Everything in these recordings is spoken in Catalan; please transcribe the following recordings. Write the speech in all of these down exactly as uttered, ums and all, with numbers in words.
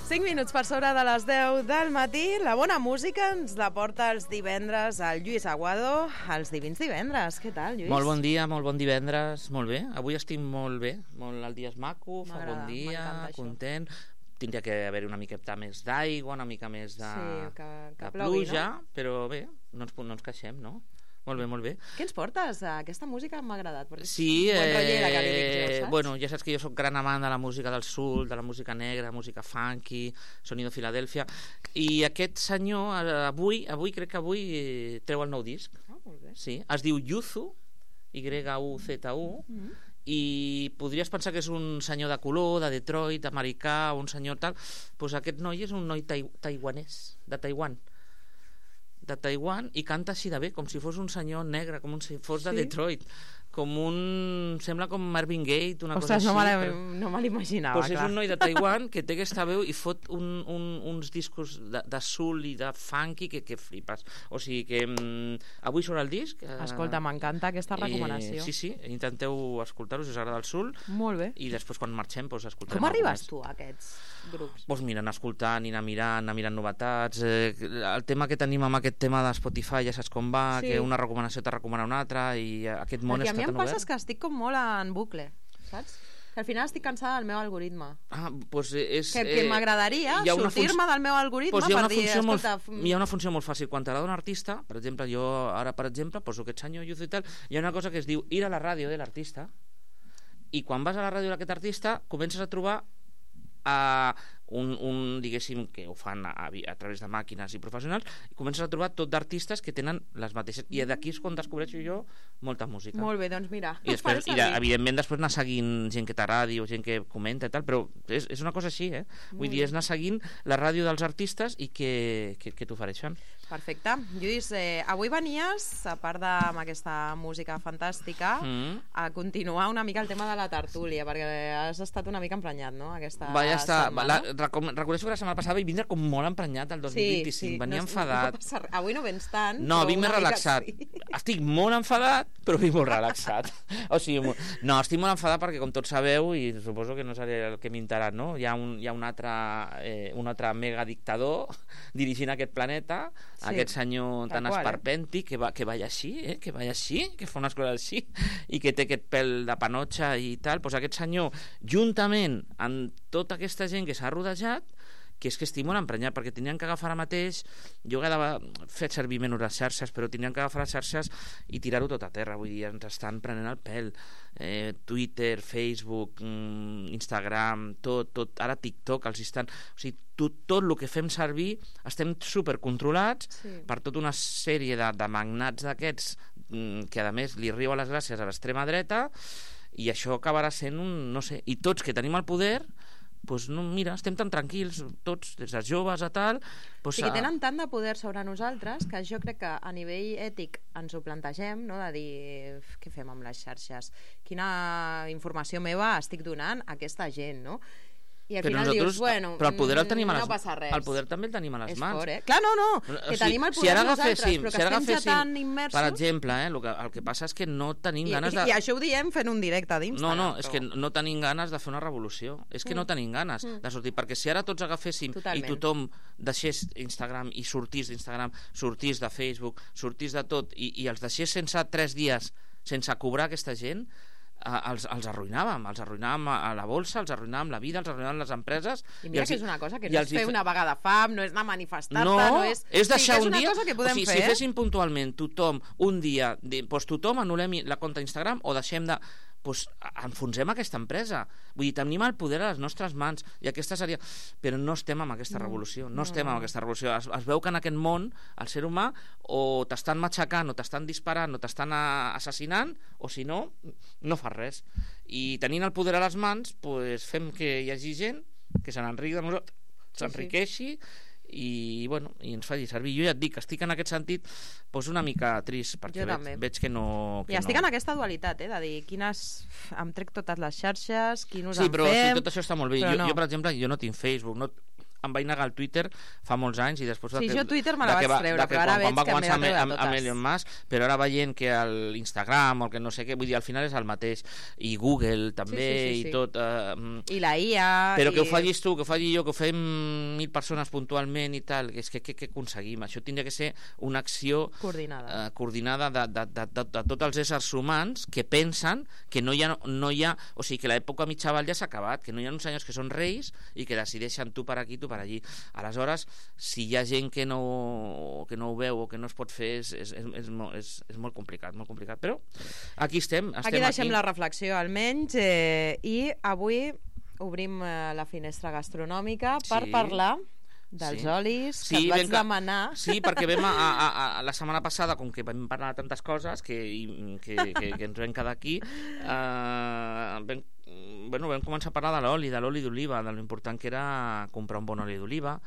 cinc minuts per sobre de les deu del matí. La bona música ens la porta els divendres al Lluís Aguado, els Divins Divendres. Què tal, Lluís? Molt bon dia, molt bon divendres. Molt bé, avui estic molt bé. Molt, el dia és maco, fa bon dia, content. Tindria que haver-hi una miqueta més d'aigua, una mica més de, sí, que, que de plogui, pluja, no? Però bé, no ens, no ens queixem, no? Molt bé, molt bé. Què ens portes? Aquesta música m'ha agradat. Sí, eh, rollera, que li dic jo, saps? Bueno, ja saps que jo soc gran amant de la música del soul, de la música negra, música funky, sonido Filadèlfia, i aquest senyor, avui, avui crec que avui treu el nou disc. Ah, molt bé. Sí, es diu Yuzu, Y U Z U, mm-hmm. i podries pensar que és un senyor de color, de Detroit, americà, un senyor tal, doncs aquest noi és un noi tai- taiwanès, de Taiwan, de Taiwan, i canta així de bé, com si fos un senyor negre, com si fos de sí? Detroit, com un... sembla com Marvin Gaye, una Ostres, cosa no així. Me però... no me l'imaginava, pues és un noi de Taiwan que té aquesta veu i fot un, un, uns discos de, de soul i de funky que, que flipes. O sigui que mm, avui surt el disc. Eh, Escolta, m'encanta aquesta recomanació. Eh, sí, sí, intenteu escoltar-ho si us agrada el soul. Molt bé. I després quan marxem pues, escoltarem. Com arribes tu a aquests grups? Pues mira, anar escoltant, anar mirant, anar mirant novetats. Eh, el tema que tenim amb aquest tema de Spotify ja saps com va, sí. Que una recomanació te recomana una altra i aquest món perquè està tan obert. A mi em passa que estic com molt en bucle, saps? Que al final estic cansada del meu algoritme. Ah, pues és, que que eh, m'agradaria sortir-me func... del meu algoritme pues per dir, escolta... Molt, hi ha una funció molt fàcil. Quan t'agrada un artista, per exemple, jo ara, per exemple, poso aquest senyor Yuzu i tal, hi ha una cosa que es diu ir a la ràdio de l'artista, i quan vas a la ràdio d'aquest artista comences a trobar a un, un diguéssim, que ho fan a, a través de màquines i professionals, i comences a trobar tot d'artistes que tenen les mateixes, i d'aquí és quan descobreixo jo molta música. Molt bé, doncs mira. I després, i de, evidentment, després anar seguint gent que t'agradi o gent que comenta i tal, però és, és una cosa així, eh? Vull Molt dir, és anar seguint la ràdio dels artistes i que, que, que t'ofereixen. Perfecte. Lluís, eh, avui venies, a part amb aquesta música fantàstica, mm. a continuar una mica el tema de la tertúlia, perquè has estat una mica emprenyat, no?, aquesta Va, ja està. setmana. La, reconeixo que la setmana passada vaig vindre com molt emprenyat el dos mil vint-i-cinc, sí, sí. Venia no, enfadat. No, no avui no vens tant. No, vinc més relaxat. Sí. Estic molt enfadat, però vinc molt relaxat. O sigui, no, estic molt enfadat perquè, com tots sabeu, i suposo que no seré el que m'interat, no? Hi ha un, hi ha un altre, eh, un altre mega dictador dirigint aquest planeta, sí, aquest senyor tan qual, esperpèntic, eh? que, va, que balla així, eh? que balla així, que fa unes coses així, i que té aquest pèl de panotxa i tal. Doncs aquest senyor, juntament amb tota aquesta gent que s'ha rodejat, que és que estic molt emprenyat, perquè tenien que agafar ara mateix, jo he fet servir menys les xarxes, però tenien que agafar les xarxes i tirar-ho tot a terra, vull dir, ens estan prenent el pèl, eh, Twitter, Facebook, mm, Instagram, tot, tot, ara TikTok, els estan, o sigui, tot, tot el que fem servir estem supercontrolats, sí, per tota una sèrie de, de magnats d'aquests, mm, que a més li riu a les gràcies a l'extrema dreta, i això acabarà sent un, no sé, i tots que tenim el poder, pues no, mira, estem tan tranquils tots, des dels joves a tal, pues, sí, que tenen tant de poder sobre nosaltres que jo crec que a nivell ètic ens ho plantegem, no? De dir, què fem amb les xarxes, quina informació meva estic donant a aquesta gent, no? I al però final dius, bueno, però el poder el tenim a les, no passa res. El poder també el tenim a les és mans. Fort, eh? Clar, no, no, que o sigui, tenim el poder si ara nosaltres, però que si estem ja tan immersos... Per exemple, eh, el, que, el que passa és que no tenim I, ganes de... I això ho diem fent un directe d'Instagram. No, no, però... és que no tenim ganes de fer una revolució. És que mm. no tenim ganes mm. de sortir, perquè si ara tots agaféssim Totalment. I tothom deixés Instagram i sortís d'Instagram, sortís de Facebook, sortís de tot, i, i els deixés sense tres dies, sense cobrar aquesta gent... Els, els arruïnàvem, els arruïnàvem a la bolsa, els arruïnàvem la vida, els arruïnàvem les empreses. I mira i els, que és una cosa que no és fer hi... una vaga de fam, no és anar a manifestar-te, no, no és... és deixar sí, un dia... Cosa que podem o sigui, fer, si féssim puntualment tothom un dia, doncs tothom anul·lem la compte d'Instagram o deixem de... Doncs enfonsem aquesta empresa. Vull dir, tenim el poder a les nostres mans i aquesta seria... Però no estem amb aquesta revolució, no, no estem no. amb aquesta revolució. Es, es veu que en aquest món el ser humà o t'estan matxacant, o t'estan disparant, o t'estan assassinant, o si no, no fas res. I tenint el poder a les mans, doncs fem que hi hagi gent que se n'enriqui de nosaltres, s'enriqueixi, sí, sí. I, bueno, i ens faci servir. Jo ja et dic, estic en aquest sentit doncs una mica trist, perquè veig, veig que no... Que I estic no... en aquesta dualitat, eh, de dir, quines... em trec totes les xarxes, quin us sí, en però fem... Sí, tot això està molt bé. Jo, no. jo, per exemple, jo no tinc Facebook, no... em vaig negar al Twitter fa molts anys i després... Sí, que, jo Twitter me la vaig va, treure, però ara quan, veig quan va que m'he de començar treure amb, totes. amb Elon Musk, però ara veient que l'Instagram o el que no sé què, vull dir, al final és el mateix. I Google també, sí, sí, sí, sí. i tot... Eh, I la I A... Però i... que ho facis tu, que ho faci jo, que ho fem mil persones puntualment i tal, que és que què aconseguim? Això tindria que ser una acció coordinada, eh, coordinada de, de, de, de, de tots els éssers humans que pensen que no hi ha... No hi ha o sigui, que l'època mitjaval ja s'ha acabat, que no hi ha uns senyors que són reis i que decideixen tu per aquí, tu per allí. Aleshores, si hi ha gent que no, que no ho veu o que no es pot fer, és, és, és, és, molt, és, és molt complicat, molt complicat. Però aquí estem. estem aquí deixem aquí. la reflexió, almenys, eh, i avui obrim eh, la finestra gastronòmica per Sí. parlar dels Sí. olis, que Sí, et vaig ben que- demanar. Sí, perquè vam a, a, a, a la setmana passada, com que vam parlar de tantes coses que, i, que, que, que ens vam quedar aquí, eh, vam, bueno, vam començar a parlar de l'oli, de l'oli d'oliva, de l'important que era comprar un bon oli d'oliva,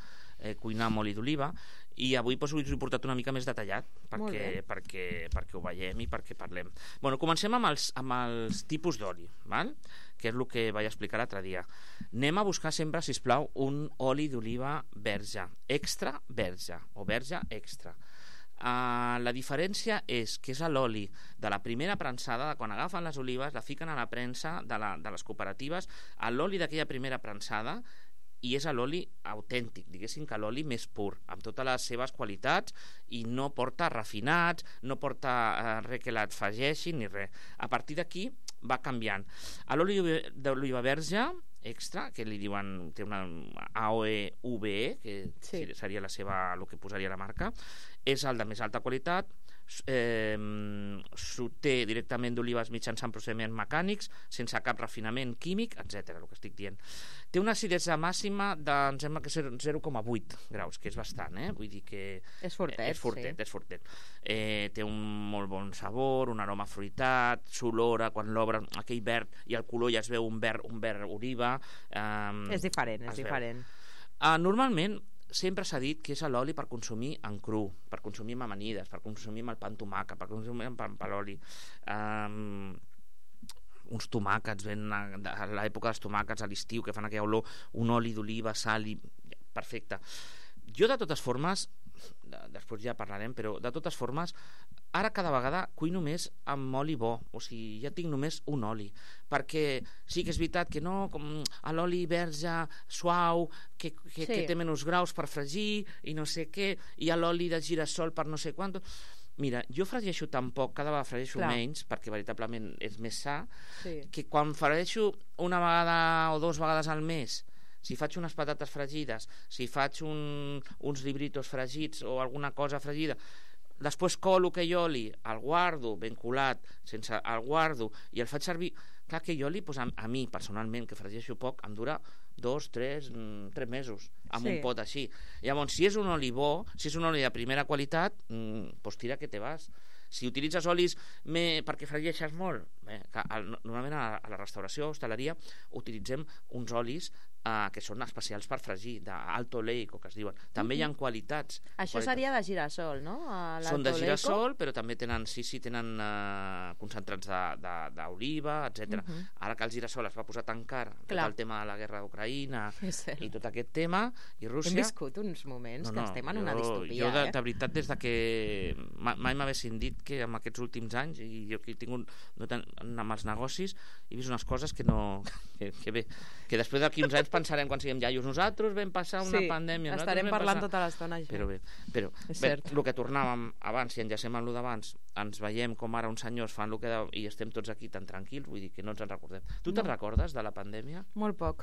eh, cuinar amb oli d'oliva, i avui doncs, us ho he portat una mica més detallat perquè, perquè, perquè ho veiem i perquè parlem. Bueno, comencem amb els, amb els tipus d'oli, val? Que és el que vaig explicar l'altre dia. Anem a buscar sempre, sisplau, un oli d'oliva verge, extra verge, o verge extra. Uh, la diferència és que és l'oli de la primera prensada, de quan agafen les olives, la fiquen a la premsa de, la, de les cooperatives, l'oli d'aquella primera prensada, i és l'oli autèntic, diguéssim que l'oli més pur, amb totes les seves qualitats, i no porta refinats, no porta eh, res que l'afegeixi ni res. A partir d'aquí va canviant. A l'oli d'oliva verge extra, que li diuen, té una A O E V E, que sí. seria la seva, el que posaria la marca, és el de més alta qualitat, eh, s'obté directament d'olives mitjançant procediments mecànics, sense cap refinament químic, etcètera, el que estic dient. Té una acidesa màxima de, em sembla que zero coma vuit graus, que és bastant, eh? Vull dir que... És fortet, és fortet, sí. És fortet. Eh, té un molt bon sabor, un aroma fruitat, s'olora, quan l'obres, aquell verd, i el color ja es veu un verd, un verd oliva. Eh, és diferent, és diferent. Uh, normalment, sempre s'ha dit que és l'oli per consumir en cru, per consumir amb amanides, per consumir amb el pa amb tomàquet, per consumir amb pa amb l'oli. Um, uns tomàquets, ben a, a l'època dels tomàquets a l'estiu, que fan aquella olor, un oli d'oliva, sal i... perfecte. Jo, de totes formes, després ja parlarem, però de totes formes, ara cada vegada cuino més amb oli bo, o sigui, ja tinc només un oli, perquè sí que és veritat que no, com l'oli verge suau, que, que, sí. que té menys graus per fregir, i no sé què, i l'oli de girassol per no sé quant... Mira, jo fregeixo tan poc, cada vegada fregeixo Clar. menys, perquè veritablement és més sa, sí. que quan fregeixo una vegada o dues vegades al mes, si faig unes patates fregides, si faig un, uns libritos fregits o alguna cosa fregida, després colo aquell oli, el guardo ben colat, sense el guardo, i el faig servir... Clar, aquell oli, doncs, a, a mi, personalment, que fregeixo poc, em dura dos, tres, tres mesos, amb sí. un pot així. Llavors, si és un oli bo, si és un oli de primera qualitat, doncs tira que te vas. Si utilitzes olis me, perquè fregeixes molt, bé, que, al, normalment a, a la restauració o hostaleria utilitzem uns olis Uh, que són especials per fregir, d'alto oleico, que es diuen. També hi ha qualitats. Això qualitats. seria de girassol, no? Són de girassol, però també tenen, sí, sí, tenen uh, concentrats d'oliva, etcètera. Uh -huh. Ara que el girassol es va posar tan car, tot el tema de la guerra d'Ucraïna i tot aquest tema, i Rússia... Hem viscut uns moments no, no, que estem en jo, una distopia, jo de, eh? de veritat, des de que mai m'haguessin dit que en aquests últims anys, i jo que he tingut no tan, amb els negocis, he vist unes coses que no... que, que bé, que després d'aquí uns anys pensarem quan siguem iaios nosaltres vam passar una sí, pandèmia estarem parlant passar... tota l'estona això. Però bé, però bé, el que tornàvem abans, si enllacem amb el d'abans, ens veiem com ara uns senyors fan el que de... i estem tots aquí tan tranquils, vull dir que no ens en recordem. Tu te'n no. recordes de la pandèmia? Molt poc.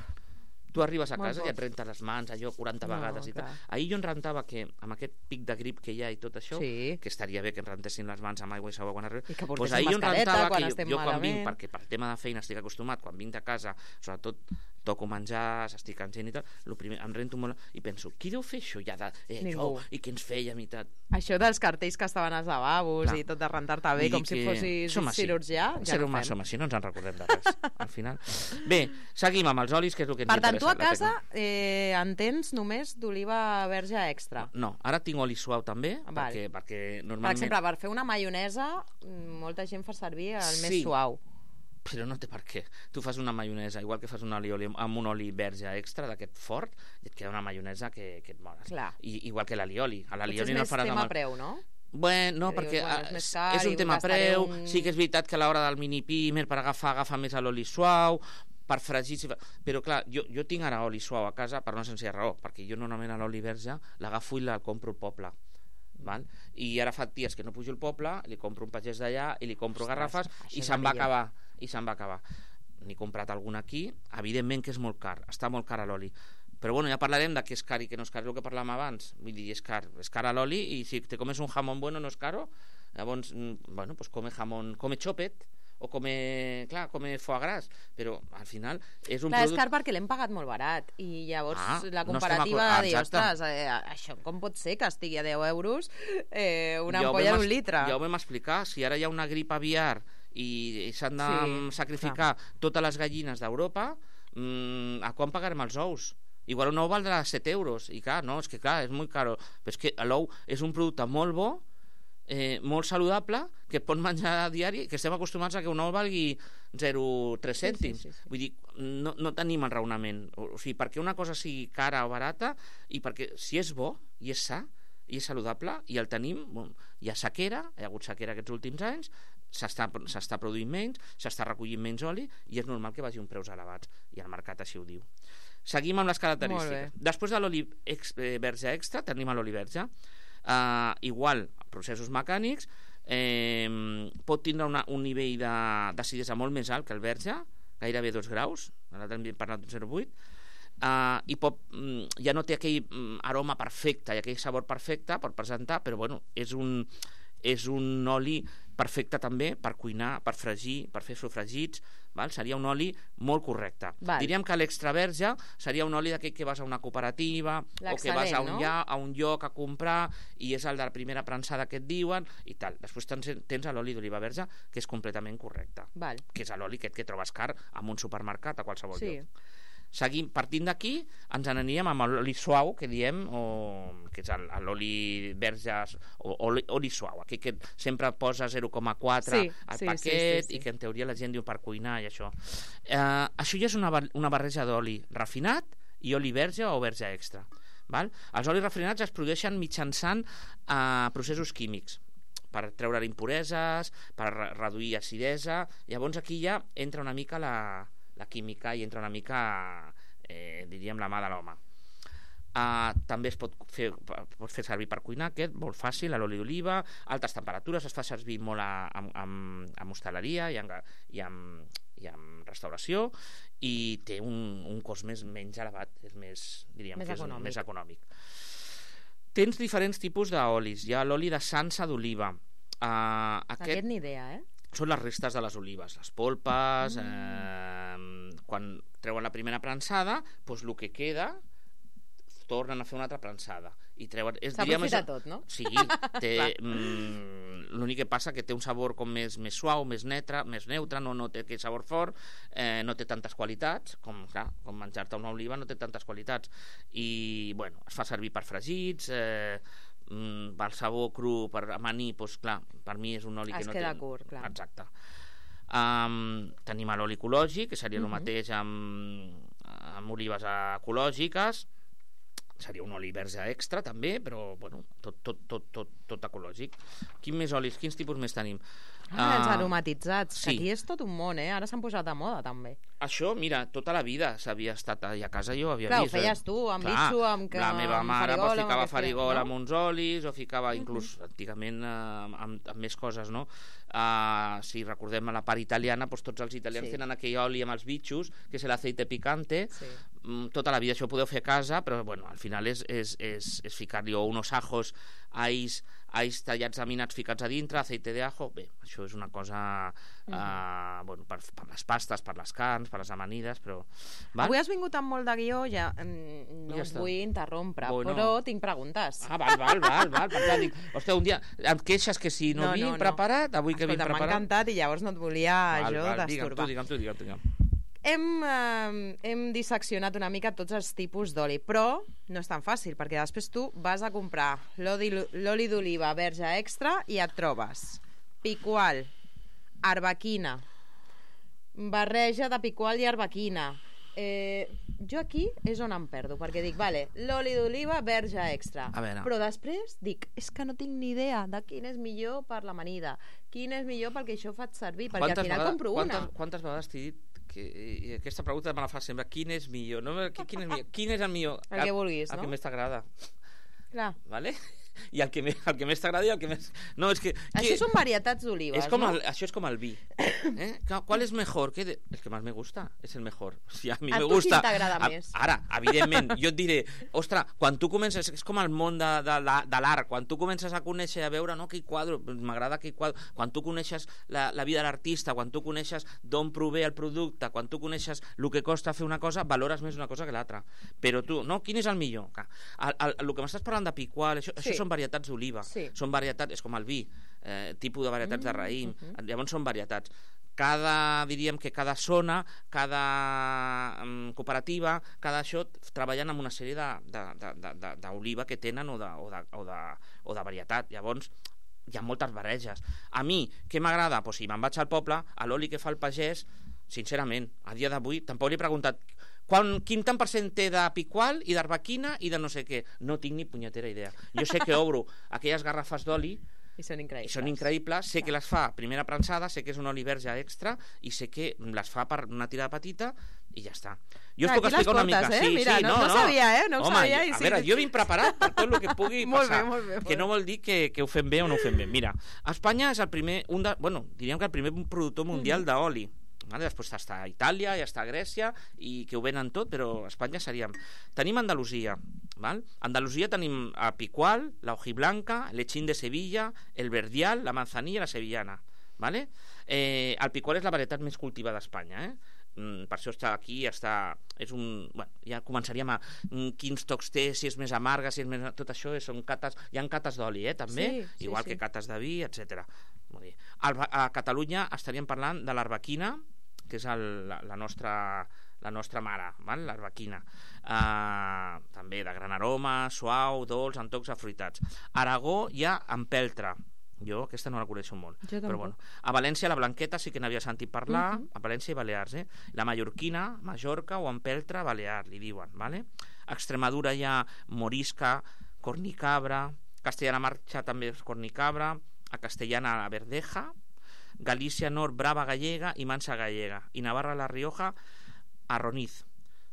Tu arribes a casa i et rentes les mans allò quaranta no, vegades i tal. Ahir jo em rentava que amb aquest pic de grip que hi ha i tot això, sí. que estaria bé que ens rentessin les mans amb aigua i sabó quan arribes. I que pues ahir jo em rentava que jo, jo quan vinc, perquè per tema de feina estic acostumat, quan vinc de casa, sobretot toco menjar, s'estic cansant i tal, lo primer, em rento molt i penso, qui deu fer això ja de, eh, això, i què ens fèiem i tal. Això dels cartells que estaven als lavabos Clar. i tot de rentar-te bé, com si fossis cirurgià, ja no fem. Som així, no ens en recordem de res, al final. Bé, seguim amb els olis, que és el que ens per interessa. Per tant, tu a casa eh, en tens només d'oliva verge extra? No, no, ara tinc oli suau també, Val. perquè, perquè normalment... Per exemple, per fer una maionesa, molta gent fa servir el sí. més suau. però no té per què. Tu fas una maionesa, igual que fas un oli, oli amb un oli verge extra d'aquest fort, i et queda una maionesa que, que et moles. I, igual que l'alioli. A l'alioli no el faràs amb... Potser és més tema preu, no? Bueno, no, perquè dius, bueno, és, car, és un tema preu, un... sí que és veritat que a l'hora del mini pimer per agafar, agafar més l'oli suau, per fregir, però clar, jo, jo tinc ara oli suau a casa per una senzilla raó, perquè jo normalment a l'oli verge l'agafo i la compro al poble. Val? I ara fa dies que no pujo al poble, li compro un pagès d'allà i li compro Ostres, garrafes i se'n va acabar i se'n va acabar. N'he comprat algun aquí, evidentment que és molt car, està molt car l'oli, però bueno, ja parlarem de què és car i què no és car, el que parlàvem abans, vull dir, és car, és car l'oli, i si te comes un jamón bueno no és caro, llavors, bueno, pues come jamón, come chopet, o come, clar, come foie gras, però al final és un clar, producte... és car perquè l'hem pagat molt barat i llavors ah, la comparativa no de dir, ostres, eh, això com pot ser que estigui a deu euros eh, una ja ampolla d'un litre? Ja ho vam explicar, si ara hi ha una grip aviar i, i s'han de sí, sacrificar clar. totes les gallines d'Europa, mmm, a quan pagarem els ous? Igual un ou valdrà set euros, i clar, no, és que clar, és molt caro, però és que l'ou és un producte molt bo, Eh, molt saludable, que pot menjar a diari, que estem acostumats a que un ou valgui zero coma tres cèntims. Sí, sí, sí, sí. Vull dir, no, no tenim el raonament. O, o sigui, perquè una cosa sigui cara o barata, i perquè si és bo, i és sa, i és saludable, i el tenim, bon, hi ha sequera, hi ha hagut sequera aquests últims anys, s'està produint menys, s'està recollint menys oli, i és normal que vagi uns preus elevats, i el mercat així ho diu. Seguim amb les característiques. Després de l'oli ex, eh, verge extra, tenim l'oli verge. Uh, igual, processos mecànics, eh, pot tindre una, un nivell d'acidesa molt més alt que el verge, gairebé dos graus, ara hem parlat d'un zero coma vuit, uh, i pot, ja no té aquell aroma perfecte i aquell sabor perfecte per presentar, però bueno, és un, és un oli perfecte també per cuinar, per fregir, per fer sofregits, val? Seria un oli molt correcte. Val. Diríem que l'extraverge seria un oli d'aquell que vas a una cooperativa o que vas a un, no? lla, a un lloc a comprar i és el de la primera prensada que et diuen i tal. Després tens, tens l'oli d'oliva verge que és completament correcte. Val. Que és l'oli aquest que trobes car en un supermercat a qualsevol sí. lloc. Seguim, partint d'aquí ens n'aniríem amb l'oli suau que diem, o, que és l'oli verge o oli, oli suau, aquell que sempre posa zero coma quatre sí, al sí, paquet sí, sí, sí. i que en teoria la gent diu per cuinar i això eh, això ja és una, una barreja d'oli refinat i oli verge o verge extra, val? Els olis refinats es produeixen mitjançant eh, processos químics per treure impureses, per reduir acidesa, llavors aquí ja entra una mica la la química i entra una mica, eh, diríem, la mà de l'home. Uh, també es pot fer, pot fer servir per cuinar, aquest, molt fàcil, a l'oli d'oliva, altes temperatures, es fa servir molt a, a, a, a hostaleria i, a, i, a, i a restauració, i té un, un cost més, menys elevat, és més, diríem, més que és econòmic. més econòmic. Tens diferents tipus d'olis. Hi ha l'oli de sansa d'oliva. Uh, aquest... aquest ni idea, eh? Són les restes de les olives, les polpes, mm. eh, quan treuen la primera prensada, doncs el que queda tornen a fer una altra prensada i treuen... S'aprofita tot, no? Sí, té, mm, l'únic que passa que té un sabor com més, més suau, més neutre, més neutre, no, no té aquell sabor fort, eh, no té tantes qualitats, com, clar, com menjar-te una oliva no té tantes qualitats, i bueno, es fa servir per fregits, eh, Mm, pel sabor cru, per amanir, doncs clar, per mi és un oli es que no queda té... curt, clar. Exacte. Um, tenim l'oli ecològic, que seria uh-huh. el mateix amb, amb olives ecològiques, seria un oli verge extra també, però bueno, tot, tot, tot, tot, tot ecològic. Quins més olis, quins tipus més tenim? Ah, uh, els aromatitzats, sí. que aquí és tot un món, eh? Ara s'han posat de moda també. Això, mira, tota la vida s'havia estat allà a casa, jo havia clar, vist... Clar, ho feies tu, amb clar, bitxo, amb, la meva amb mare farigola... Pues, ficava farigola no? amb uns olis, o ficava inclús, uh-huh. antigament, eh, amb, amb més coses, no? Uh, si recordem a la part italiana, pues, tots els italians sí. tenen aquell oli amb els bitxos, que és l'aceite picante, sí. mm, tota la vida això ho podeu fer a casa, però, bueno, al final és, és, és, és ficar-li unos ajos, ais, ais tallats laminats ficats a dintre, aceite de ajo, bé, això és una cosa uh-huh. uh, bueno, per, per les pastes, per les carns, per les amanides, però... Val? Avui has vingut amb molt de guió, ja no ja us vull interrompre, bueno. però tinc preguntes. Ah, val, val, val, val, per tant, dic, hòstia, un dia et queixes que si no, no vinc no, no. preparat, avui Escolta, que vinc preparat... M'ha encantat i llavors no et volia val, jo val, destorbar. Digue'm tu, digue'm tu, digue'm tu. Hem, eh, hem disseccionat una mica tots els tipus d'oli, però no és tan fàcil, perquè després tu vas a comprar l'oli d'oliva verge extra i et trobes picual, arbequina, barreja de piqual i arbequina. Eh, jo aquí és on em perdo, perquè dic, vale, l'oli d'oliva verge extra, però després dic, és que no tinc ni idea de quin és millor per l'amanida, quin és millor pel que això faig servir, perquè quantes al final vegades, compro quantes, una. Quantes vegades t'he dit que, i aquesta pregunta me la fa sempre, quin és millor? No, quin, és millor? Quin és el millor? El que vulguis, el no? El que més t'agrada. Clar. Vale? I el que, més, el que més t'agrada i el que més... No, és que, això que... són varietats d'olives, com no? El, això és com el vi. ¿Eh? ¿Cuál es mejor? ¿Qué de... El que más me gusta es el mejor. O sigui, a mi a me tu gusta... quin t'agrada més? Ara, evidentment, jo et diré, ostres, quan tu comences... És com el món de, de, de l'art. Quan tu comences a conèixer, a veure, no, aquell quadre, m'agrada aquell quadre. Quan tu coneixes la, la vida de l'artista, quan tu coneixes d'on prové el producte, quan tu coneixes el que costa fer una cosa, valores més una cosa que l'altra. Però tu, no? Quin és el millor? El, el, el que m'estàs parlant de piqual, això, sí. Això són varietats d'oliva. Sí. Són varietats, és com el vi, eh, tipus de varietats mm, de raïm, uh -huh. Llavors són varietats. Cada, diríem que cada zona, cada um, cooperativa, cada això, treballen amb una sèrie d'oliva que tenen o de, o, de, o, de, o de varietat. Llavors, hi ha moltes barreges. A mi, què m'agrada? Pues si me'n vaig al poble, a l'oli que fa el pagès, sincerament, a dia d'avui, tampoc li he preguntat quan, quin tant per cent té de piqual i d'arbequina i de no sé què. No tinc ni punyetera idea. Jo sé que obro aquelles garrafes d'oli i són increïbles. I són increïbles. Sé que les fa primera prensada, sé que és un oli verge extra i sé que les fa per una tirada petita i ja està. Jo us ah, puc explicar una mica. Eh? Sí, Mira, sí, no, no, no sabia, eh? No Home, sabia. I a sí. veure, jo vinc preparat per tot el que pugui molt passar. Bé, molt bé, molt que no vol dir que, que ho fem bé o no ho fem bé. Mira, Espanya és el primer, un de, bueno, diríem que el primer productor mundial mm -hmm. d'oli. Vale? Després està Itàlia, ja està Grècia i que ho venen tot, però a Espanya seríem... Tenim Andalusia, val? Andalusia tenim a piqual, la hojiblanca, lechín de Sevilla, el verdial, la manzanilla i la sevillana, vale? Eh, el piqual és la varietat més cultivada d'Espanya, eh? Mm, per això està aquí, està... És un... Bueno, ja començaríem a... Mm, quins tocs té, si és més amarga, si és més... Tot això són cates... Hi ha cates d'oli, eh, també, sí, igual sí, sí. que cates de vi, etcètera. Molt bé. A Catalunya estaríem parlant de l'arbequina, que és el, la, la, nostra, la nostra mare, l'arbequina. Uh, també de gran aroma, suau, dolç, amb tocs afruitats. Aragó hi ha empeltre. Jo aquesta no la coneixo molt. Però bueno. A València la blanqueta sí que n'havia sentit parlar, uh -huh. A València i Balears. Eh? La mallorquina, Mallorca o empeltre, Balear, li diuen. Vale? A Extremadura hi ha morisca, cornicabra, Castellana Marxa també és cornicabra, a Castellana la verdeja, Galícia Nord, Brava gallega i Mansa gallega, i Navarra la Rioja, Arroniz,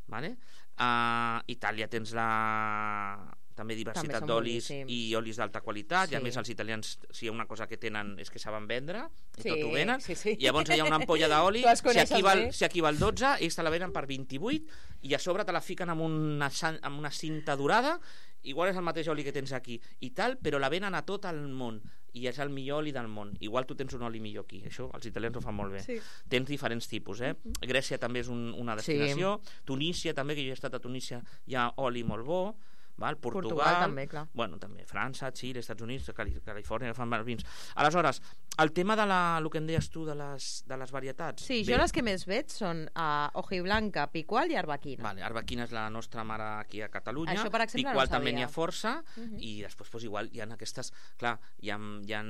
vale? A Itàlia tens la... també diversitat d'olis i olis d'alta qualitat, sí. I a més els italians, si hi ha una cosa que tenen és que saben vendre i sí, tot ho venen, sí, sí. I llavors hi ha una ampolla d'oli, si, aquí val, si aquí val dotze, ells te la venen per vint-i-vuit i a sobre te la fiquen amb una, amb una cinta dorada, igual és el mateix oli que tens aquí i tal, però la venen a tot el món i és el millor oli del món. Igual tu tens un oli millor aquí, això els italians ho fan molt bé. Sí. Tens diferents tipus, eh? Uh -huh. Grècia també és un, una destinació, sí. Tunísia també, que jo he estat a Tunísia, hi ha oli molt bo, val? Portugal, Portugal també, clar. Bueno, també França, Xile, Estats Units, Califòrnia, que fan mals vins. Aleshores, el tema de la, el que em deies tu de les, de les varietats. Sí, bé. Jo les que més veig són uh, hojiblanca, piqual i arbequina. Vale, arbequina és la nostra mare aquí a Catalunya. Això, per exemple, piqual no també n'hi ha força, uh -huh. I després pues, igual hi ha aquestes, clar, hi ha, hi ha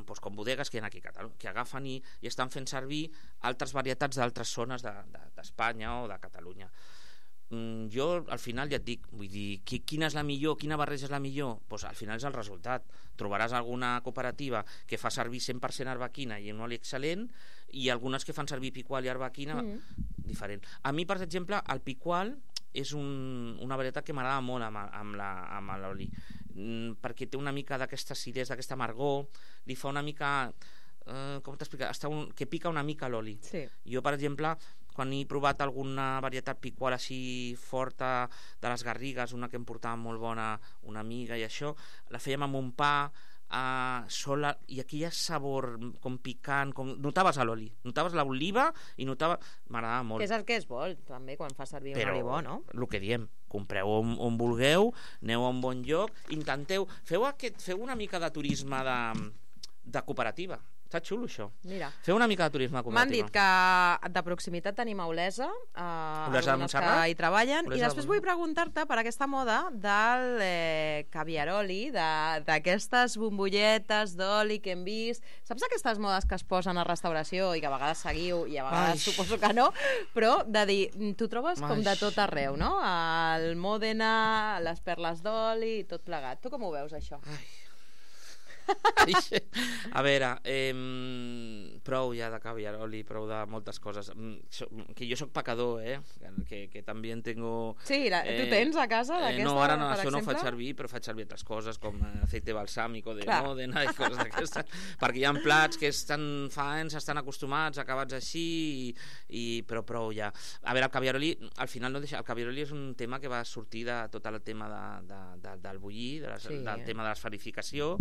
pues, com bodegues que hi ha aquí a Catalunya, que agafen i, i estan fent servir altres varietats d'altres zones d'Espanya de, de, o de Catalunya. Jo al final ja et dic, vull dir, quina és la millor, quina barreja és la millor? Pues al final és el resultat. Trobaràs alguna cooperativa que fa servir cent per cent arbequina i un oli excel·lent i algunes que fan servir piqual i arbequina mm. diferent. A mi, per exemple, el piqual és un, una varietat que m'agrada molt amb, amb, la, amb l'oli, mm, perquè té una mica d'aquesta acidesa, d'aquesta amargor, li fa una mica... Eh, com t'explicar? Està un, que pica una mica l'oli. Sí. Jo, per exemple, quan he provat alguna varietat piqual així forta de les Garrigues, una que em portava molt bona una amiga i això, la fèiem amb un pa uh, sola, i aquí hi ha sabor com picant, com... notaves l'oli, notaves l'oliva i notaves... M'agradava molt. Que és el que es vol, també, quan fa servir Però, un oli bo, no? El que diem, compreu on, on vulgueu, aneu a un bon lloc, intenteu, feu, aquest, feu una mica de turisme de, de cooperativa. Està xulo, això. Mira. Feu una mica de turisme cooperatiu. M'han dit que de proximitat tenim a Olesa, eh, Olesa de algunes Montserrat? que hi treballen, Olesa i després de- vull preguntar-te per aquesta moda del eh, caviaroli, de- d'aquestes bombolletes d'oli que hem vist. Saps aquestes modes que es posen a restauració i que a vegades seguiu i a vegades Ai. suposo que no, però de dir, tu trobes com Ai. de tot arreu, no? El Mòdena, les perles d'oli i tot plegat. Tu com ho veus, això? Ai. A veure, eh, prou ja de caviaroli, prou de moltes coses. Mm, so- Que jo sóc pecador, eh? Que, que també en tengo... Sí, la, tu tens a casa Eh, d'aquesta, no, ara no, per això no ho exemple? faig servir, però faig servir altres coses com eh, aceite balsàmico de Clar. Mòdena i coses d'aquestes, perquè hi ha plats que estan fa anys, estan acostumats, acabats així, i, i, però prou ja. A veure, el caviaroli, al final no deixa... El caviaroli és un tema que va sortir de tot el tema de, de, de, del bullir, de les, Sí. del tema de l'esferificació,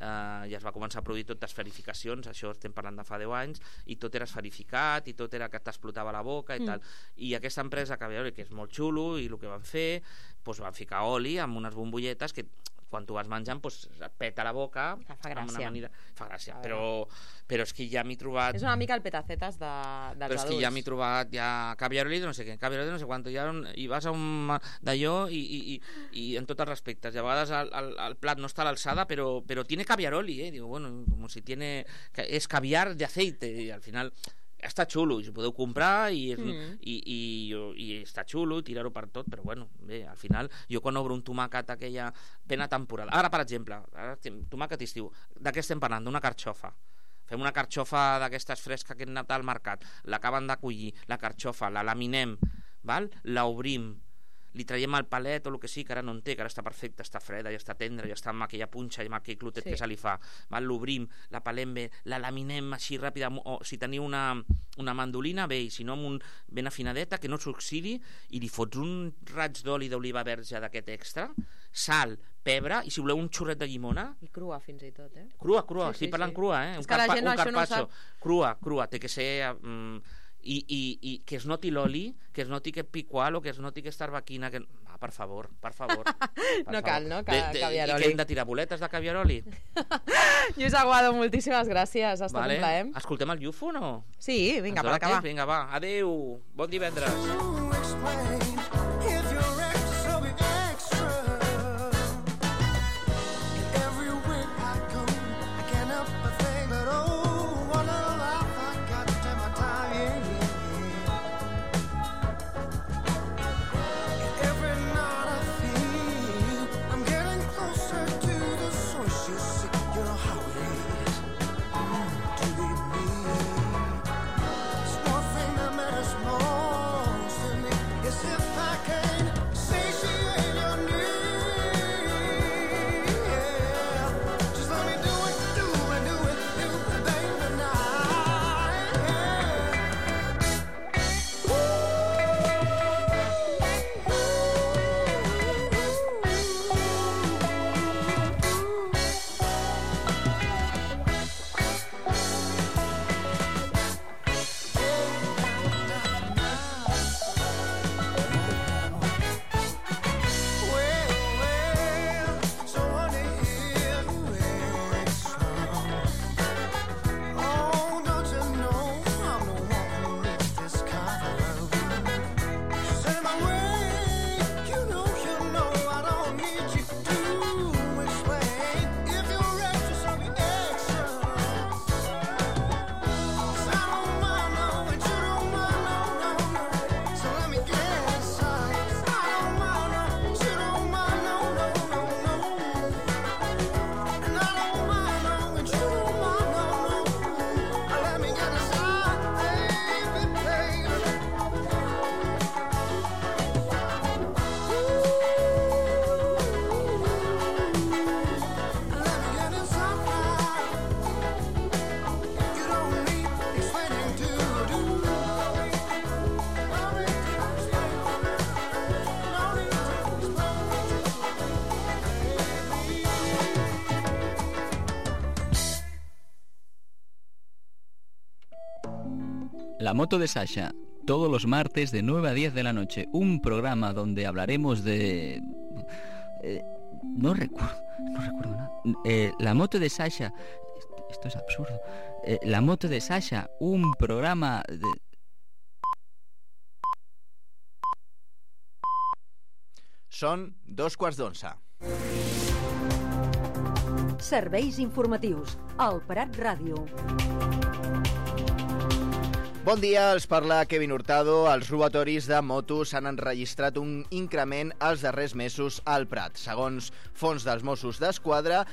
eh, ja es va començar a produir tot d'esferificacions, això estem parlant de fa deu anys, i tot era esferificat, i tot era que t'explotava la boca i Mm. tal. I aquesta empresa Caviaroli, que és molt xulo, i el que van fer, doncs van ficar oli amb unes bombolletes que quan tu vas menjant doncs, et peta la boca. Que fa amb gràcia. Una manera... Fa gràcia, A però, però és que ja m'he trobat... És una mica el petacetes de, dels Però és que adults. ja m'he trobat ja caviaroli de no sé què, caviaroli de no sé quant, i, un, i vas a un d'allò i, i, i, i en tots els respectes, i a vegades el, el, el plat no està a l'alçada, però, però tiene caviaroli, eh? Digo, bueno, como si tiene... És caviar de aceite, i al final està xulo, i ho podeu comprar i, és, Mm. i, i, i, i està xulo, tirar-ho per tot, però bueno, bé, al final jo quan obro un tomàquet aquella plena temporada, ara per exemple, ara, estem- tomàquet estiu, de què estem parlant? D'una carxofa. Fem una carxofa d'aquestes fresques que hem anat al mercat, l'acaben de collir, la carxofa, la laminem, val? La obrim, li traiem el palet o el que sí, que ara no en té, que ara està perfecta, està freda, ja està tendra, ja està amb aquella punxa i amb aquell clotet Sí. que se li fa, val? L'obrim, la pelem bé, la laminem així ràpida, o si teniu una, una mandolina, bé, i si no amb un ben afinadeta, que no s'oxidi, i li fots un raig d'oli d'oliva verge d'aquest extra, sal, pebre, i si voleu un xurret de llimona, I crua fins i tot, eh? crua, crua, Sí, sí, sí, estic parlant sí. crua, eh? És Un, que la carpa, gent un això no ho carpaccio, sap. crua, crua, té que ser... Mm, i, i, i que es noti l'oli, que es noti aquest picual o que es noti aquesta arbaquina, que... Ah, per favor, per favor. Per No favor. cal, no? Que- De, de, caviaroli. I que hem de tirar boletes de caviaroli? Lluís Aguado, moltíssimes gràcies, ha estat Vale. un plaer. Escoltem el Llufo o no? Sí, vinga, Ens per dona acabar. temps? Vinga, va, adeu, bon divendres. La moto de Sasha, todos los martes de nueve a diez de la noche, un programa donde hablaremos de... Eh, no recuerdo, no recuerdo nada. Eh, la moto de Sasha, esto, esto es absurdo. eh, La moto de Sasha, un programa de... Són dos quarts d'onze. Serveis informatius. El Prat Ràdio. Bon dia, els parla Kevin Hurtado. Els robatoris de motos han enregistrat un increment els darrers mesos al Prat. Segons fons dels Mossos d'Esquadra,